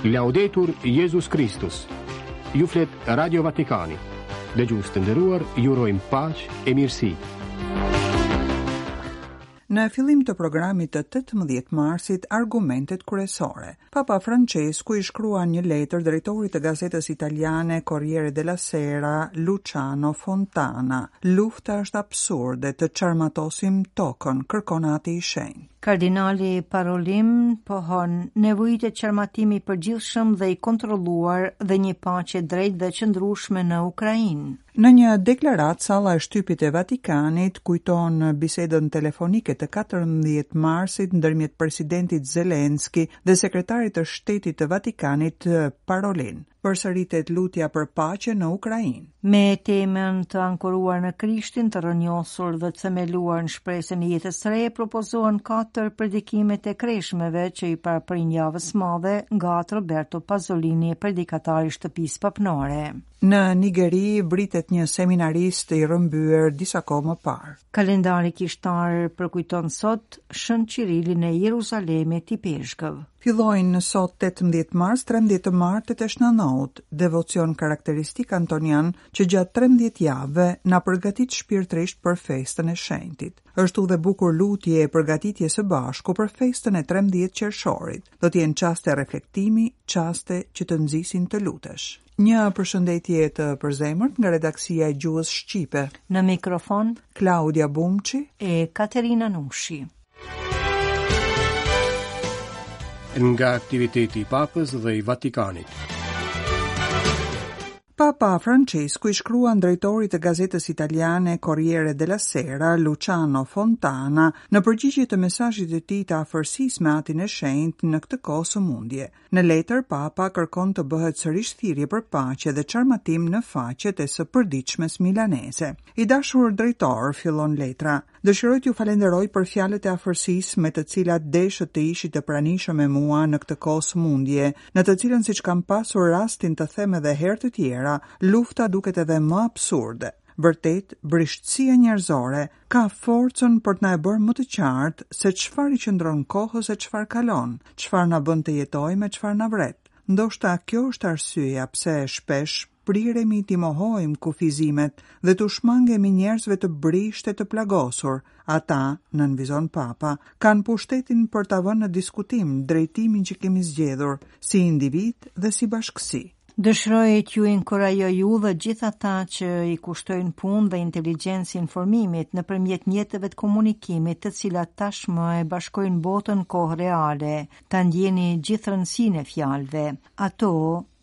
Laudetur Jezus Kristus. Ju flet Radio Vatikani. Dëgjues të nderuar, ju urojmë paqe e mirësi. Në fillim të programit të 18 marsit, argumentet kryesore. Papa Francesku i shkruan një letër drejtorit të gazetës italiane Corriere della Sera, Luciano Fontana. Lufta është absurde, të çarmatosim tokën, kërkon Ati i Shenjtë. Kardinali Parolin pohon, nevojitet çarmatim i përgjithshëm dhe i kontrolluar dhe një paqe e drejtë dhe e qëndrueshme në Ukrainë. Në një deklaratë, salla e shtypit e Vatikanit kujton bisedën telefonike të 14 marsit ndërmjet presidentit Zelenski dhe sekretarit të shtetit të Vatikanit Parolin. Përsëritet lutja për paqe në Ukrainë. Me temën të ankoruar në Krishtin, të rrënjosur dhe të themeluar në shpresën e jetës së re, propozohen katër predikimet e kreshmeve që i paraprijnë javës së madhe nga Atë Roberto Pazolini, predikatar i shtëpisë papnore. Në Nigeri vritet një seminarist i rrëmbyer disa kohë më parë. Kalendari kishtar përkujton sot Shën Qirilin e Jeruzalemit ipeshkëv. Fillojnë sot 18 mars 13 të martet e Shna Nout, devocion karakteristik antonian që gjatë 13 javëve na përgatit shpirtërisht për festën e shenjtit. Është udhë e bukur lutje e përgatitje së bashku për festën e 13 qershorit. Do të jenë çaste reflektimi, çaste që të nxisin të lutesh. Një përshëndetje të përzemërt nga redaksia e gjuhës shqipe. Në mikrofon Klaudia Bumçi e Katerina Nushi. Nga aktiviteti i Papës dhe i Vatikanit. Papa Francesku i shkruan drejtorit të gazetës italiane Corriere della Sera, Luciano Fontana, në përgjigje të mesazhit të tij të afërsisë me Atin e Shenjtë në këtë kohë sëmundje. Në letër, Papa kërkon të bëhet sërish thirrje për paqe dhe çarmatim në faqet e së përditshmes milaneze. I dashur drejtor, fillon letra, dëshiroj t'ju falenderoj për fjalët e afërsisë me të cilat deshët të ishit të pranishëm me mua në këtë kohë sëmundje, në të cilën siç kam pasur rastin të them edhe herë të tjera, lufta duket edhe më absurde. Vërtet, brishtësia njerëzore ka forcën për të na e bërë më të qartë se çfarë i qëndron kohës e çfarë kalon, çfarë na bën të jetojmë e çfarë na vret. Ndoshta kjo është arsyeja pse shpesh priremi t'i mohojmë kufizimet dhe t'u shmangemi njerëzve të brishtë e të plagosur. Ata, nënvizon Papa, kanë pushtetin për ta vënë në diskutim drejtimin që kemi zgjedhur si individë dhe si bashkësi. Dëshiroj t'ju inkurajoj ju dhe gjithë ata që i kushtojnë punë dhe inteligjencë informimit nëpërmjet mjeteve të komunikimit të cilat tashmë e bashkojnë botën në kohë reale, ta ndjeni gjithë rëndësinë e fjalëve. Ato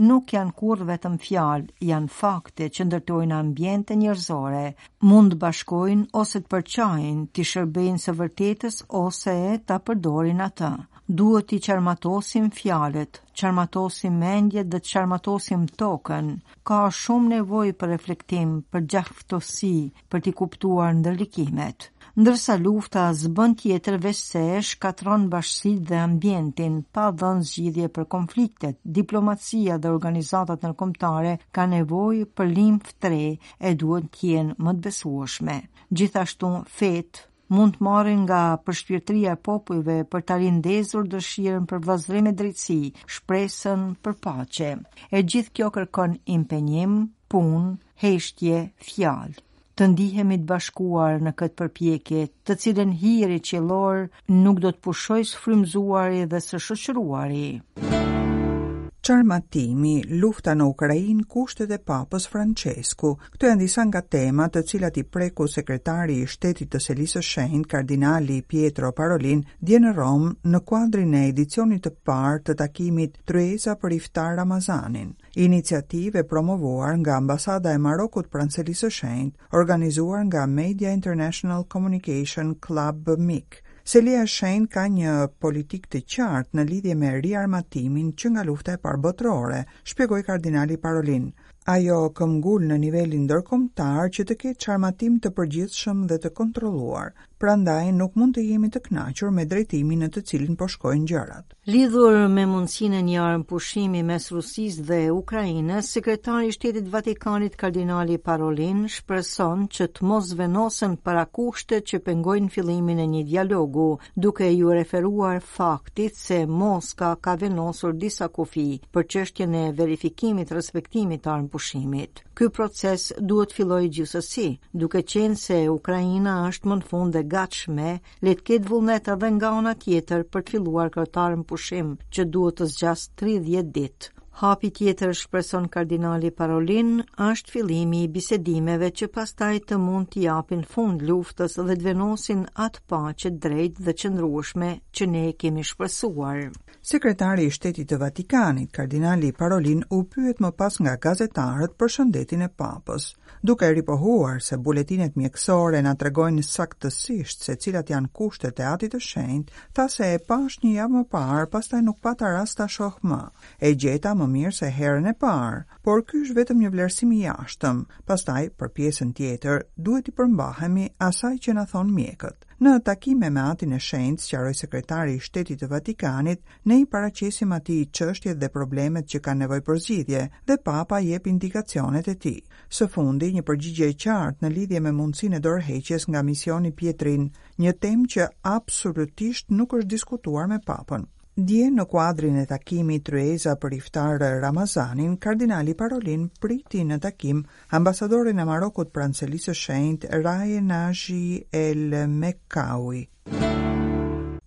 nuk janë kurrë vetëm fjalë, janë fakte që ndërtojnë ambiente njerëzore, mund të bashkojnë ose të përçajnë, t'i shërbejnë së vërtetës ose ta përdorin atë. Duhet t'i çarmatosim fjalët, çarmatosim mendjet dhe të çarmatosim tokën. Ka shumë nevojë për reflektim, për gjakftohtësi, për t'i kuptuar ndërlikimet. Ndërsa lufta s'bën tjetër veçse shkatërron bashkësitë dhe ambientin, pa dhënë zgjidhje për konfliktet, diplomacia dhe organizatat ndërkombëtare kanë nevojë për limfë të re e duhet të jenë më të besueshme. Gjithashtu, fetë, mund të marrin nga përshpirtëria e popujve për ta rindezur dëshirën për vëllazërim e drejtësi, shpresën për paqe. E gjithë kjo kërkon impenjim, punë, heshtje, fjalë. Të ndihemi të bashkuar në këtë përpjekje, të cilën hiri qiellor nuk do të pushojë së frymëzuari dhe së shoqëruari. Çarmatimi, lufta në Ukrainë, kushtet e Papës Françesku. Këto janë disa nga temat të cilat i preku sekretari i shtetit të Selisë së Shenjtë, kardinali Pietro Parolin, dje në Romë, në kuadrin e edicionit të parë të takimit Tryeza për Iftar Ramazanin, iniciativë e promovuar nga Ambasada e Marokut pranë Selisë së Shenjtë, organizuar nga Media International Communication Club MIC. Selia e Shenjtë ka një politikë të qartë në lidhje me riarmatimin që nga lufta e parë botërore, shpjegoi kardinali Parolin. Ajo këmbgul në nivelin ndërkombëtar që të ketë çarmatim të përgjithshëm dhe të kontrolluar. Prandaj nuk mund të jemi të kënaqur me drejtimin në të cilin po shkojnë gjërat. Lidhur me mundësinë e një armëpushimi mes Rusisë dhe Ukrainës, sekretari i Shtetit të Vatikanit Kardinali Parolin shpreson që të mos venosen parakushte që pengojnë fillimin e një dialogu, duke iu referuar faktit se Moska ka vendosur disa kufij për çështjen e verifikimit respektimit të armëpushimit. Ky proces duhet të fillojë gjithsesi, duke qenë se Ukraina është më në fund e gatshme Le të ketë vullnet edhe nga ana tjetër për të filluar këtë armëpushim që duhet të zgjasë 30 ditë. Hapi tjetër, shpreson kardinali Parolin, është fillimi i bisedimeve që pastaj të mund t'i japin fund luftës dhe të vendosin atë paqe të drejtë dhe qëndrueshme që ne kemi shpresuar. Sekretari i Shtetit të Vatikanit, kardinali Parolin, u pyet më pas nga gazetarët për shëndetin e Papës. Duke ripohuar se buletinet mjekësore na tregojnë saktësisht se cilat janë kushtet e Atit të Shenjtë, tha se e pashë një javë më parë, pastaj nuk pata rast ta shoh më. E gjeta më mirë se herën e parë, por ky është vetëm një vlerësim i jashtëm. Pastaj, për pjesën tjetër, duhet t'i përmbahemi asaj që na thonë mjekët. Në takime me Atin e Shenjtë, sqaroi sekretari i Shtetit të Vatikanit, Ne i paraqesim atij çështjet dhe problemet që kanë nevojë për zgjidhje dhe Papa jep indikacionet e tij. Së fundi, një përgjigje e qartë në lidhje me mundësinë e dorëheqjes nga misioni Pietrin, një temë që absolutisht nuk është diskutuar me Papën. Dje, në kuadrin e takimit Tryeza për Iftar Ramazanin, kardinali Parolin priti në takim ambasadorin e Marokut pranë Selisë së Shenjtë, Raje Naji El Mekkaui.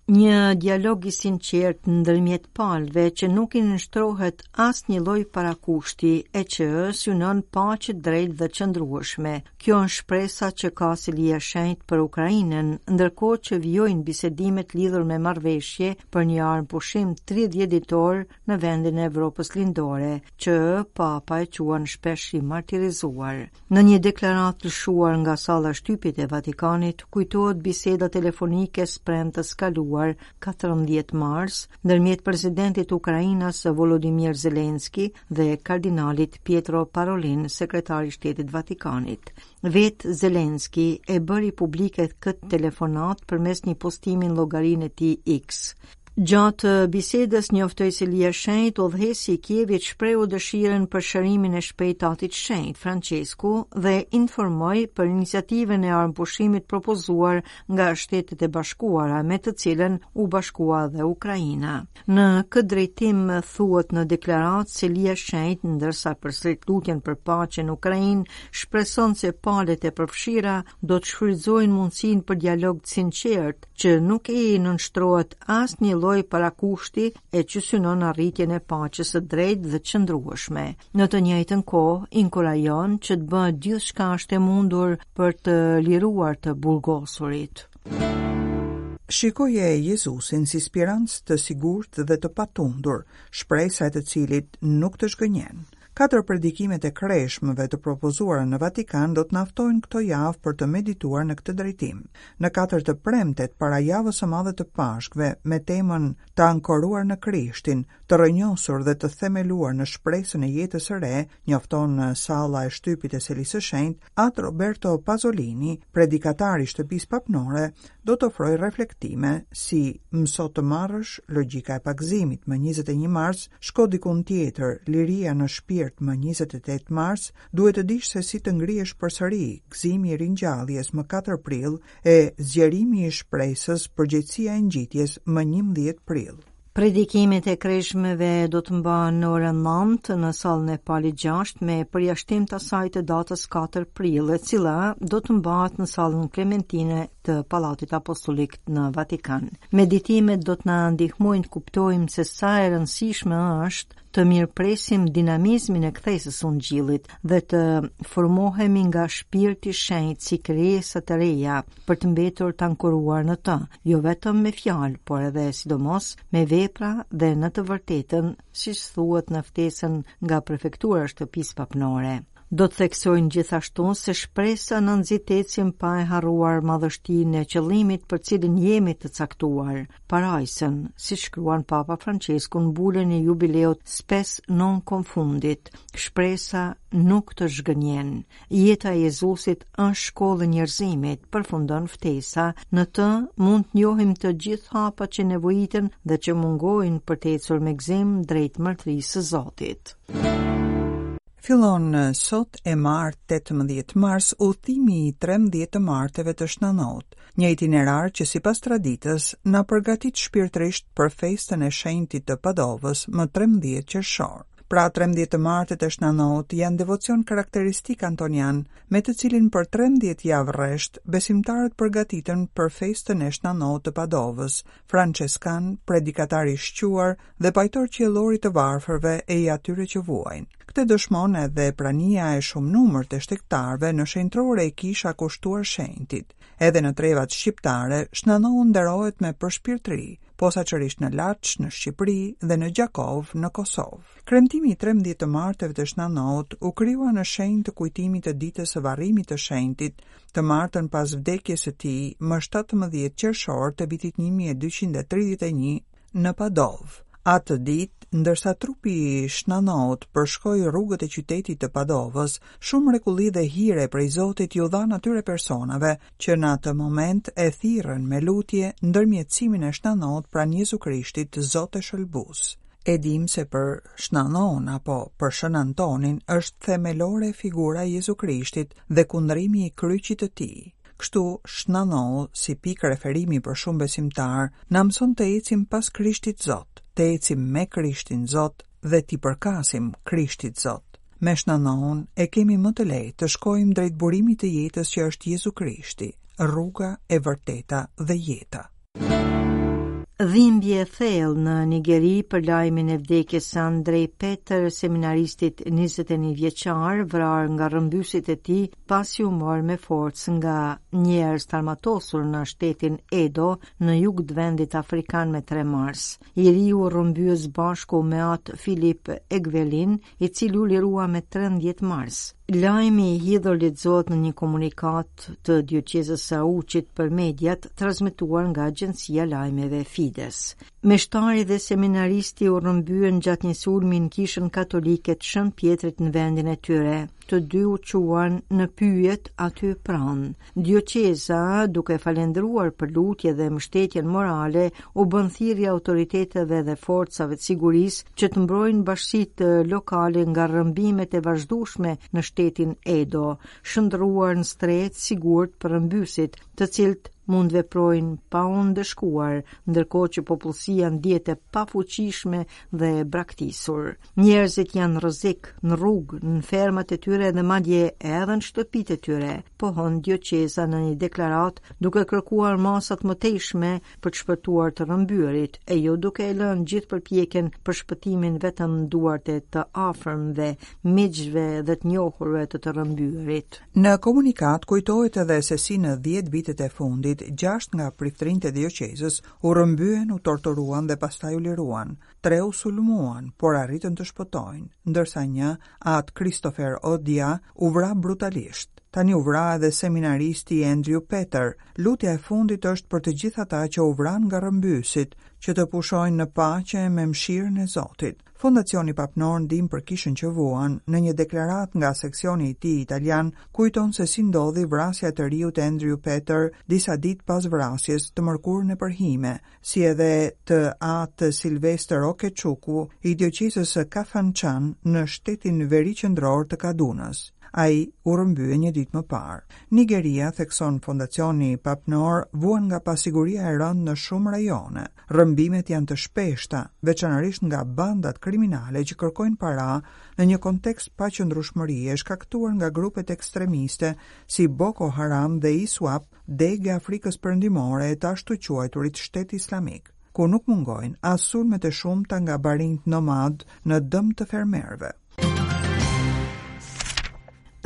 Një dialog i sinqertë ndërmjet palëve që nuk i nënshtrohet asnjë lloj parakushti e që synon paqe të drejtë dhe qëndrueshme. Kjo është shpresa që ka Selia e Shenjtë për Ukrainën, ndërkohë që vijojnë bisedimet lidhur me marrëveshje për një armëpushim 30 ditor në vendin e Evropës Lindore, që Papa e quan shpesh i martirizuar. Në një deklaratë lëshuar nga salla e shtypit e Vatikanit, kujtohet biseda telefonike e së premtes së kaluar, 14 mars, ndërmjet presidentit ukrainas Volodymyr Zelensky dhe kardinalit Pietro Parolin, sekretar i Shtetit të Vatikanit. Vetë Zelensky e bëri publike këtë telefonatë përmes një postimi në llogarinë e tij X. Gjatë bisedës njoftoi Selia e Shenjtë, udhëheqësi i Kievit shprehu dëshirën për shërimin e shpejtë të Atit të Shenjtë, Françesku, dhe informoi për iniciativën e armëpushimit propozuar nga Shtetet e Bashkuara, me të cilën u bashkua dhe Ukraina. Në këtë drejtim thuhet në deklaratë Selia e Shenjtë, ndërsa përsërit lutjen për paqe në Ukrainë, shpreson se palët e përfshira do të shfrytëzojnë mundësinë për dialog të sinqertë, që nuk i nënshtrohet asnjë lloj parakushti e që synon arritjen e paqes së drejtë dhe qëndrueshme. Në të njëjtën kohë, inkurajon që të bëhet gjithçka është e mundur për të liruar të burgosurit. Shikoje Jezusin si spirancë të sigurt dhe të patundur, shpresa e të cilit nuk të zhgënjen. Katër predikimet e kreshmëve të propozuara në Vatikan do të na ftojnë këto javë për të medituar në këtë drejtim. Në katër të premtet para javës së madhe të Pashkëve, me temën Të ankoruar në Krishtin, të rrënjosur dhe të themeluar në shpresën e jetës së re, njofton salla e shtypit e Selisë së Shenjtë, At Roberto Pazolini, predikatar i Shtëpisë Papnore, do të ofrojë reflektime si Mëso të marrësh, logjika e pagëzimit më 21 mars, shko dikund tjetër, liria në shpirt më 28 mars, duhet të dish se si të ngrihesh përsëri, gëzimi i ringjalljes më 4 prill e zgjerimi i shpresës, përgjegjësia e ngjitjes më 11 prill. Predikimet e kreshmeve do të mbahen në orën 9 në sallën e Palit 6 me përjashtim të asaj të datës 4 prill, e cila do të mbahet në sallën Klementine të Pallatit Apostolik në Vatikan. Meditimet do të na ndihmojnë të kuptojmë se sa e rëndësishme është të mirëpresim dinamizmin e kthesës së ungjillit dhe të formohemi nga shpirti i shenjtë si krijesa të reja për të mbetur të ankoruar në të, jo vetëm me fjalë, por edhe sidomos me vepra dhe në të vërtetën, siç thuhet në ftesën nga prefektura e shtëpisë papnore. Do të theksojnë gjithashtu se shpresa na nxit të ecim pa e harruar madhështinë e qëllimit për cilin jemi të caktuar, parajsën, siç shkruan Papa Françesku në bulën e jubileut Spes non confundit. Shpresa nuk të zhgënjen. Jeta e Jezusit është shkollë e njerëzimit, përfundon ftesa. Në të mund të njohim të gjithë hapat që nevojiten dhe që mungojnë për të ecur me gëzim drejt mbretërisë së Zotit. Fillon sot e martë 18 mars udhëtimi i 13 të marteve të Shna Nout, një itinerar që sipas traditës na përgatit shpirtërisht për festën e shenjtit të Padovës më 13 qershor. Pra 13 të martet e Shna Nout janë devocion karakteristik antonian, me të cilin për 13 javë rresht besimtarët përgatiten për festën e Shna Nout të Padovës, françeskan, predikatar i shquar dhe pajtor qiellor i të varfërve e i atyre që vuajnë. Këtë dëshmon edhe prania e shumënumërt e shtegtarëve në shenjtërore e kisha kushtuar shenjtit. Edhe në trevat shqiptare, Shna Nou nderohet me përshpirtëri, posaçërisht në Laç, në Shqipëri dhe në Gjakovë, në Kosovë. Kremtimi i 13 të marteve të Shna Nout u krijua në shenjë të kujtimit të ditës së varrimit të shenjtit, të martën pas vdekjes së tij, më 17 qershor të vitit 1231 në Padovë. Atë ditë, ndërsa trupi i Shna Nout përshkoi rrugët e qytetit të Padovës, shumë mrekulli dhe hire prej Zotit iu dhanë atyre personave që në atë moment e thirrën me lutje ndërmjetësimin e Shna Nout pranë Jezu Krishtit, Zot e Shëlbues. E dimë se për Shna Noun apo për Shën Antonin është themelore figura e Jezu Krishtit dhe kundrimi i kryqit të tij. Kështu, Shna Nou, si pikë referimi për shumë besimtarë, na mëson të ecim pas Krishtit Zot, të ecim me Krishtin Zot dhe t'i përkasim Krishtit Zot. Me Shna Noun e kemi më të lehtë të shkojmë drejt burimit të jetës që është Jezu Krishti, rruga e vërteta dhe jeta. Dhimbje e thellë në Nigeri për lajmin e vdekjes së Andrej Peter, seminaristit 21 vjeçar, vrarë nga rrëmbyesit e tij pasi u mor me forcë nga njerëz të armatosur në shtetin Edo, në jug të vendit afrikan me 3 mars. I riu u rrëmbye së bashku me atë Filip Egvelin, i cili u lirua me 13 mars. Lajmi i hidhur lexohet në një komunikatë të dioqezës së Auçit për mediat, transmetuar nga agjencia e lajmeve Fides. Meshtari dhe seminaristi u rrëmbyen gjatë një sulmi në kishën katolike të Shën Pjetrit në vendin e tyre. Të dy u çuan në pyjet aty pranë. Dioqeza, duke falënderuar për lutje dhe mbështetjen morale, u bën thirrje autoriteteve dhe forcave të sigurisë që të mbrojnë bashkësitë lokale nga rrëmbimet e vazhdueshme në shtetin Edo, shndërruar në strehë të sigurt për rrëmbyesit, të cilët mund të veprojnë pa u ndëshkuar, ndërkohë që popullsia ndihet e pafuqishme dhe e braktisur. Njerëzit janë në rrezik, në rrugë, në fermat e tyre dhe madje edhe në shtëpitë e tyre, pohon dioqeza në një deklaratë duke kërkuar masa të mëtejshme për të shpëtuar të rrëmbyerit, e jo duke e lënë gjithë përpjekjen për shpëtimin vetëm në duart e të afërmve, miqve dhe të njohurve të të rrëmbyerit. Në komunikatë kujtohet edhe se si në 10 vitet e fundit, 6 nga priftërinjtë e dioqezës u rrëmbyen, u torturuan dhe pastaj u liruan. Tre u sulmuan, por arritën të shpëtojnë, ndërsa një, atë Christopher Odia, u vra brutalisht. Tani u vra edhe seminaristi Andrew Peter. Lutja e fundit është për të gjithë ata që u vranë nga rrëmbyesit, që të pushojnë në paqe me mëshirën e Zotit. Fondacioni Papnor Ndihmë për Kishën që Vuan, në një deklaratë nga seksioni i tij italian, kujton se si ndodhi vrasja e të riut Andrew Peter disa ditë pas vrasjes të mërkurën e përhime, si edhe të atë Silvestër Okechukwu i dioqezës së Kafanchan në shtetin veriqendror të Kadunës. Ai u rrëmbye një ditë më parë. Nigeria, thekson Fondacioni Papnor, vuan nga pasiguria e rëndë në shumë rajone. Rrëmbimet janë të shpeshta, veçanërisht nga bandat kriminale që kërkojnë para në një kontekst paqëndrueshmërie shkaktuar nga grupet ekstremiste si Boko Haram dhe ISWAP, degë e Afrikës Perëndimore e të ashtuquajturit Shtet Islamik, ku nuk mungojnë as sulmet e shumta nga barinjtë nomadë në dëm të fermerëve.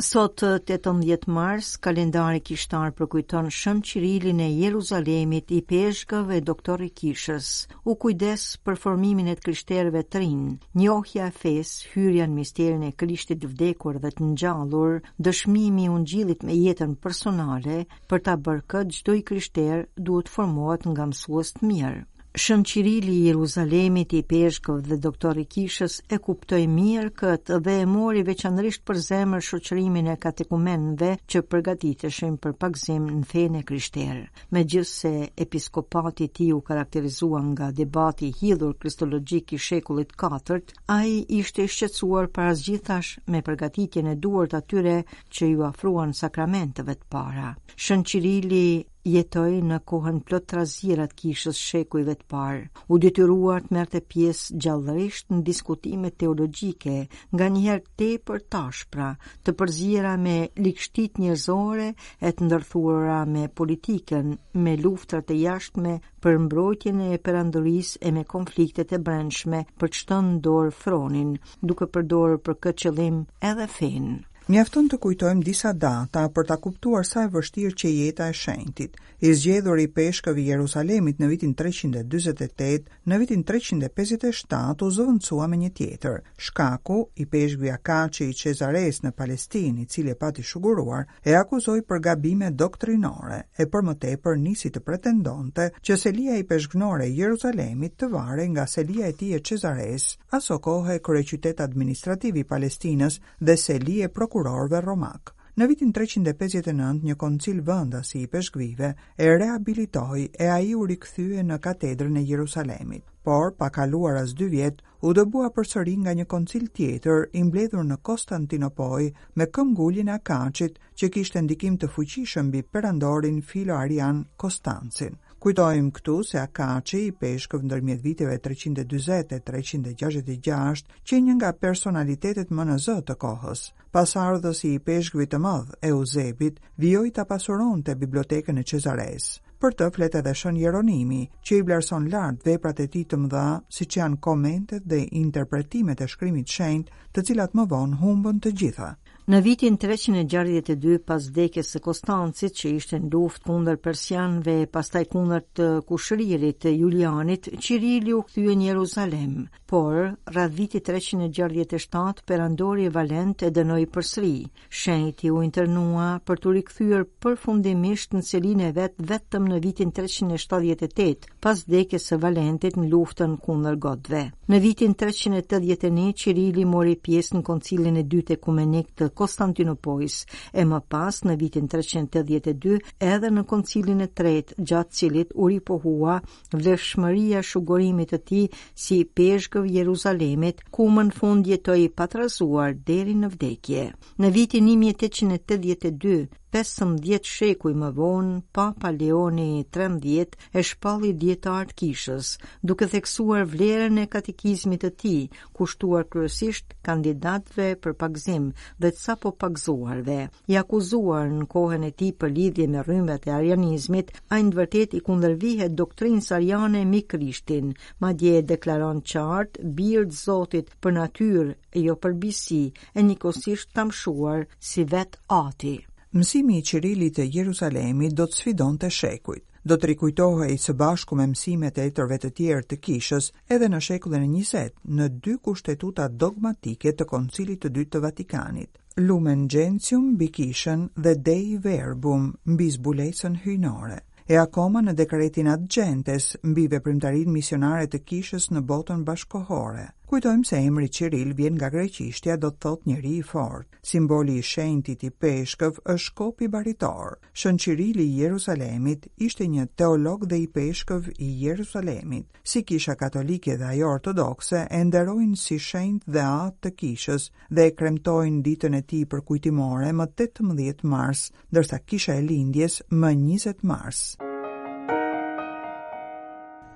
Sot 18 mars, kalendari kishtar përkujton Shën Qirilin e Jeruzalemit, ipeshkëv e doktor i kishës. U kujdes për formimin e të krishterëve të rinj, njohja e fesë, hyrja në misterin e Krishtit të vdekur dhe të ngjallur, dëshmimi i ungjillit me jetën personale, për ta bërë këtë çdo i krishterë duhet të formohet nga mësues të mirë. Shën Qirili i Jeruzalemit, ipeshkëv dhe doktor i kishës, e kuptoi mirë këtë dhe e mori veçanërisht për zemër shoqërimin e katekumenëve që përgatiteshin për pagëzim në fenë e krishterë. Megjithëse episkopati i tij u karakterizua nga debati i hidhur kristologjik i shekullit katërt, ai ishte i shqetësuar para së gjithash me përgatitjen e duhur të atyre që iu afruan sakramenteve të para. Shën Qirili jetoi në kohën plot trazira të kishës shekujve të parë. U detyrua të merrte pjesë gjallërisht në diskutime teologjike, nganjëherë tepër të ashpra, të përziera me ligështitë njerëzore e të ndërthurura me politikën, me luftrat e jashtme për mbrojtjen e perandorisë e me konfliktet e brendshme për të shtënë dorë fronin, duke përdorur për këtë qëllim edhe fenë. Mjafton të kujtojmë disa data për ta kuptuar sa e vështirë qe jeta e shenjtit. I zgjedhur ipeshkëv i Jerusalemit në vitin 348, në vitin 357 u zëvendësua me një tjetër. Shkaku, ipeshkvi Akaçi i Çezaresë në Palestinë, i cili e pati shuguruar, e akuzoi për gabime doktrinore, e për më tepër nisi të pretendonte që selia ipeshkvnore e Jerusalemit të varej nga selia e tij e Çezaresë, asokohe kryeqytet administrativ i Palestinës dhe seli e prokurorëve romakë. Në vitin 359 një koncil vendas i ipeshkvijve e rehabilitoi e ai u rikthye në katedrën e Jerusalemit. Por, pa kaluar as dy vjet, u dëbua përsëri nga një koncil tjetër i mbledhur në Konstantinopojë me këmbënguljen e Akaçit që kishte ndikim të fuqishëm mbi perandorin filo-arian Konstancin. Kujtojmë këtu se Akaçi, ipeshkëv ndërmjet viteve 340 e 366, qe një nga personalitetet më në zë të kohës. Pasardhës i ipeshkvit të madh, Euzebit, vijoi ta pasuronte bibliotekën e Çezaresë. Për të flet edhe Shën Jeronimi, që i vlerëson lart veprat e tij të mëdha, siç janë komentet dhe interpretimet e shkrimit të shenjtë, të cilat më vonë humbën të gjitha. Në vitin 362 pas vdekjes së Konstancit, që ishte në luftë kundër persianëve e pastaj kundër të kushëririt të Julianit, Qirili u kthye në Jeruzalem. Por, rreth vitit 367, perandori Valent e dënoi përsëri. Shenjti u internua për t'u rikthyer përfundimisht në selinë e vet vetëm në vitin 378, pas vdekjes së Valentit në luftën kundër gotëve. Në vitin 381 Qirili mori pjesë në Koncilin e Dytë Ekumenik të Konstantinopojës e më pas në vitin 382 edhe në Koncilin e Tretë, gjatë cilit u ripohua vlefshmëria e shugurimit të tij si ipeshkëv i Jeruzalemit, ku më në fund jetoi i patrazuar deri në vdekje. Në vitin 1882, 15 shekuj më vonë, Papa Leoni XIII e shpalli dijetar të kishës, duke theksuar vlerën e katekizmit të tij, kushtuar kryesisht kandidatëve për pagëzim dhe të sapo pagëzuarve. I akuzuar në kohën e tij për lidhje me rrymat e arianizmit, ai në të vërtetë i kundërvihet doktrinës ariane mbi Krishtin, madje e deklaron qartë bir të Zotit për natyrë e jo për bijësi, e njëkohësisht të amshuar si vetë Ati. Mësimi i Qirilit të Jeruzalemit do të sfidonte shekujt. Do të rikujtohej së bashku me mësimet e etërve të tjerë të kishës edhe në shekullin e 20, në dy kushtetuta dogmatike të Koncilit të Dytë të Vatikanit, Lumen Gentium mbi kishën dhe Dei Verbum mbi zbulesën hyjnore. E akoma në dekretin Ad Gentes mbi veprimtarinë misionare të kishës në botën bashkëkohore. Kujtojmë se emri Qiril vjen nga greqishtja do të thotë njeri i fortë. Simboli i shenjtit ipeshkëv është shkopi baritor. Shën Qirili i Jeruzalemit ishte një teolog dhe ipeshkëv i Jeruzalemit. Si Kisha Katolike dhe ajo Ortodokse e nderojnë si shenjt dhe atë të kishës dhe e kremtojnë ditën e tij përkujtimore më 18 mars, ndërsa Kisha e Lindjes më 20 mars.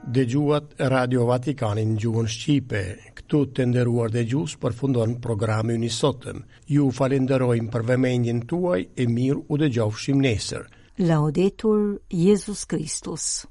Dëgjuat Radio Vatikanin në gjuhën shqipe. Këtu të nderuar dëgjues përfundon programi ynë i sotëm. Ju falenderojmë për vëmendjen tuaj e mirë u dëgjofshim nesër. Laudetur Jezus Christus.